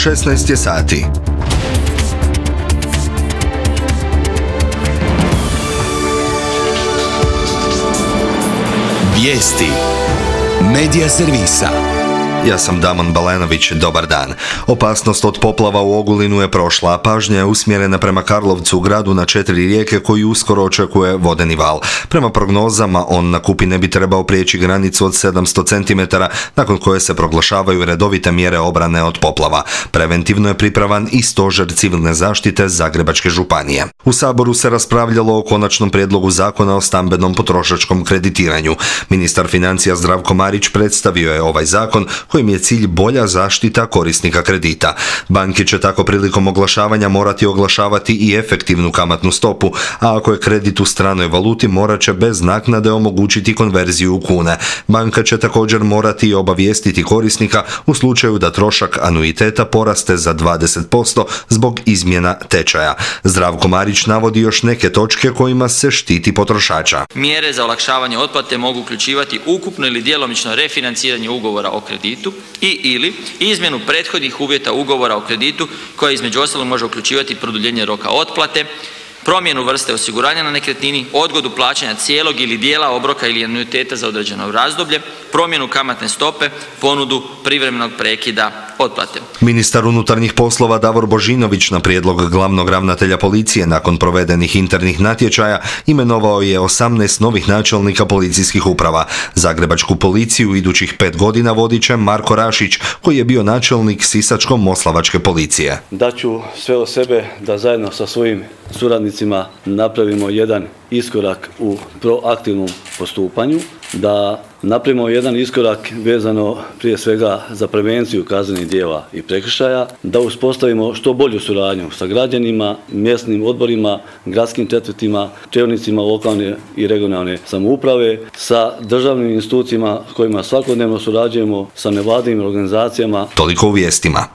16 je sati. Vijesti Medija servisa. Ja sam Damon Balenović, dobar dan. Opasnost od poplava u Ogulinu je prošla, a pažnja je usmjerena prema Karlovcu, gradu na 4 rijeke koji uskoro očekuje vodeni val. Prema prognozama, on na Kupi ne bi trebao prijeći granicu od 700 cm, nakon koje se proglašavaju redovite mjere obrane od poplava. Preventivno je pripravan i stožer civilne zaštite Zagrebačke županije. U Saboru se raspravljalo o konačnom prijedlogu zakona o stambenom potrošačkom kreditiranju. Ministar financija Zdravko Marić predstavio je ovaj zakon, kojim je cilj bolja zaštita korisnika kredita. Banke će tako prilikom oglašavanja morati oglašavati i efektivnu kamatnu stopu, a ako je kredit u stranoj valuti, morat će bez naknade omogućiti konverziju u kune. Banka će također morati obavijestiti korisnika u slučaju da trošak anuiteta poraste za 20% zbog izmjena tečaja. Zdravko Marić navodi još neke točke kojima se štiti potrošača. Mjere za olakšavanje otplate mogu uključivati ukupno ili djelomično refinanciranje ugovora o kreditu ili izmjenu prethodnih uvjeta ugovora o kreditu koja između ostalog može uključivati produljenje roka otplate, promjenu vrste osiguranja na nekretnini, odgodu plaćanja cijelog ili dijela obroka ili anuiteta za određeno razdoblje, promjenu kamatne stope, ponudu privremenog prekida otplate. Ministar unutarnjih poslova Davor Božinović na prijedlog glavnog ravnatelja policije nakon provedenih internih natječaja imenovao je 18 novih načelnika policijskih uprava. Zagrebačku policiju idućih 5 godina vodit će Marko Rašić, koji je bio načelnik Sisačko-moslavačke policije. Daću sve od sebe da zajedno sa svojim suradnicima napravimo jedan iskorak u proaktivnom postupanju, da napravimo jedan iskorak vezano prije svega za prevenciju kaznenih djela i prekršaja, da uspostavimo što bolju suradnju sa građanima, mjesnim odborima, gradskim četvrtima, čelnicima lokalne i regionalne samouprave, sa državnim institucijama s kojima svakodnevno surađujemo, sa nevladinim organizacijama. Toliko u vijestima.